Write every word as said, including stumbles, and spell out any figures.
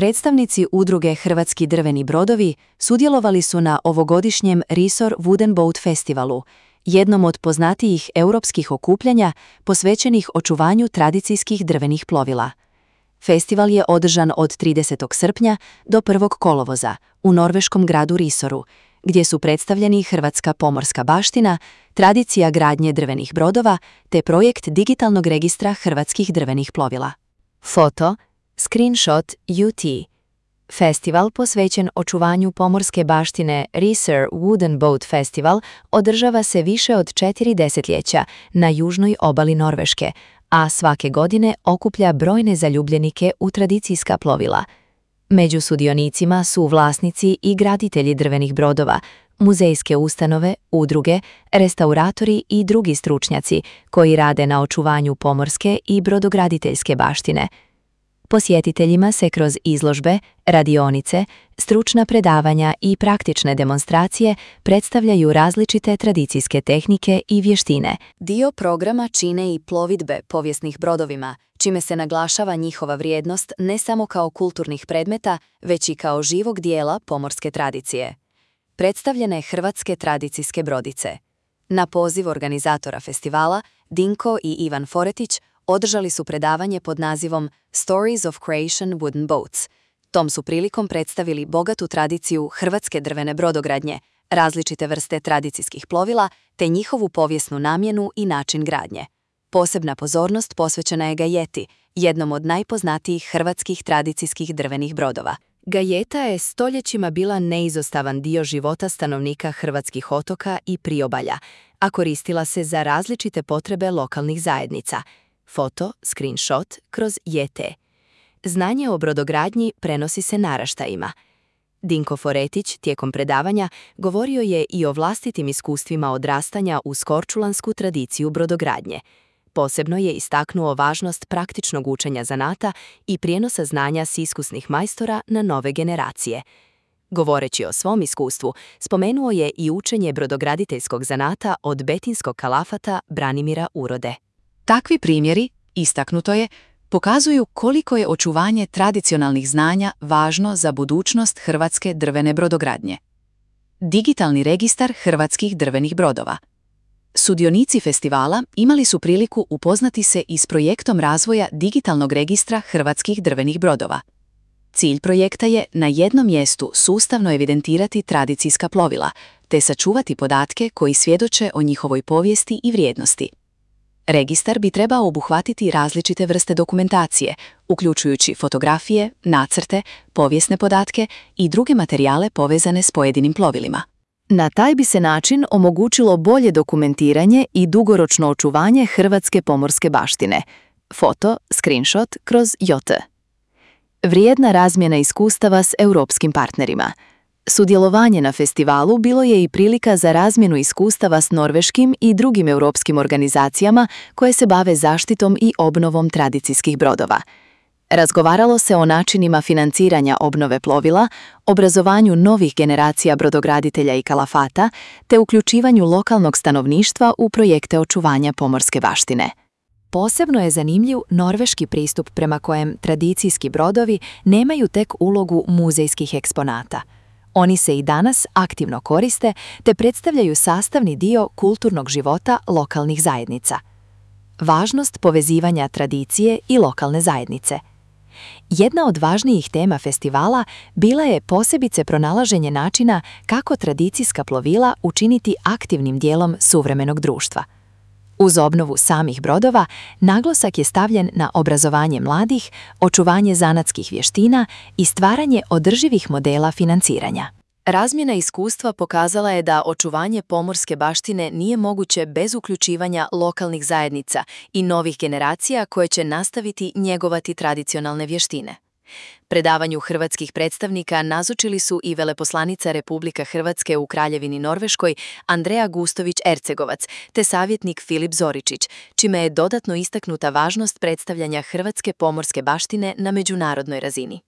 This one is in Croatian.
Predstavnici udruge Hrvatski drveni brodovi sudjelovali su na ovogodišnjem Risor Wooden Boat Festivalu, jednom od poznatijih europskih okupljanja posvećenih očuvanju tradicijskih drvenih plovila. Festival je održan od tridesetog srpnja do prvog kolovoza u norveškom gradu Risoru, gdje su predstavljeni hrvatska pomorska baština, tradicija gradnje drvenih brodova te projekt digitalnog registra hrvatskih drvenih plovila. Foto, screenshot U T. Festival posvećen očuvanju pomorske baštine Risor Wooden Boat Festival održava se više od četiri desetljeća na južnoj obali Norveške, a svake godine okuplja brojne zaljubljenike u tradicijska plovila. Među sudionicima su vlasnici i graditelji drvenih brodova, muzejske ustanove, udruge, restauratori i drugi stručnjaci koji rade na očuvanju pomorske i brodograditeljske baštine. Posjetiteljima se kroz izložbe, radionice, stručna predavanja i praktične demonstracije predstavljaju različite tradicijske tehnike i vještine. Dio programa čine i plovidbe povijesnih brodovima, čime se naglašava njihova vrijednost ne samo kao kulturnih predmeta, već i kao živog dijela pomorske tradicije. Predstavljene hrvatske tradicijske brodice. Na poziv organizatora festivala, Dinko i Ivan Foretić održali su predavanje pod nazivom Stories of Croatian Wooden Boats. Tom su prilikom predstavili bogatu tradiciju hrvatske drvene brodogradnje, različite vrste tradicijskih plovila te njihovu povijesnu namjenu i način gradnje. Posebna pozornost posvećena je gajeti, jednom od najpoznatijih hrvatskih tradicijskih drvenih brodova. Gajeta je stoljećima bila neizostavan dio života stanovnika hrvatskih otoka i priobalja, a koristila se za različite potrebe lokalnih zajednica. Foto, screenshot, kroz J T. Znanje o brodogradnji prenosi se naraštajima. Dinko Foretić tijekom predavanja govorio je i o vlastitim iskustvima odrastanja uz korčulansku tradiciju brodogradnje. Posebno je istaknuo važnost praktičnog učenja zanata i prijenosa znanja s iskusnih majstora na nove generacije. Govoreći o svom iskustvu, spomenuo je i učenje brodograditeljskog zanata od betinskog kalafata Branimira Urode. Takvi primjeri, istaknuto je, pokazuju koliko je očuvanje tradicionalnih znanja važno za budućnost hrvatske drvene brodogradnje. Digitalni registar hrvatskih drvenih brodova. Sudionici festivala imali su priliku upoznati se i s projektom razvoja digitalnog registra hrvatskih drvenih brodova. Cilj projekta je na jednom mjestu sustavno evidentirati tradicijska plovila, te sačuvati podatke koji svjedoče o njihovoj povijesti i vrijednosti. Registar bi trebao obuhvatiti različite vrste dokumentacije, uključujući fotografije, nacrte, povijesne podatke i druge materijale povezane s pojedinim plovilima. Na taj bi se način omogućilo bolje dokumentiranje i dugoročno očuvanje hrvatske pomorske baštine. Foto, screenshot kroz J T. Vrijedna razmjena iskustava s europskim partnerima. Sudjelovanje na festivalu bilo je i prilika za razmjenu iskustava s norveškim i drugim europskim organizacijama koje se bave zaštitom i obnovom tradicijskih brodova. Razgovaralo se o načinima financiranja obnove plovila, obrazovanju novih generacija brodograditelja i kalafata, te uključivanju lokalnog stanovništva u projekte očuvanja pomorske baštine. Posebno je zanimljiv norveški pristup prema kojem tradicijski brodovi nemaju tek ulogu muzejskih eksponata. Oni se i danas aktivno koriste te predstavljaju sastavni dio kulturnog života lokalnih zajednica. Važnost povezivanja tradicije i lokalne zajednice. Jedna od važnijih tema festivala bila je posebice pronalaženje načina kako tradicijska plovila učiniti aktivnim dijelom suvremenog društva. Uz obnovu samih brodova, naglasak je stavljen na obrazovanje mladih, očuvanje zanatskih vještina i stvaranje održivih modela financiranja. Razmjena iskustva pokazala je da očuvanje pomorske baštine nije moguće bez uključivanja lokalnih zajednica i novih generacija koje će nastaviti njegovati tradicionalne vještine. Predavanju hrvatskih predstavnika nazočili su i veleposlanica Republike Hrvatske u Kraljevini Norveškoj Andreja Gustović-Ercegovac te savjetnik Filip Zoričić, čime je dodatno istaknuta važnost predstavljanja hrvatske pomorske baštine na međunarodnoj razini.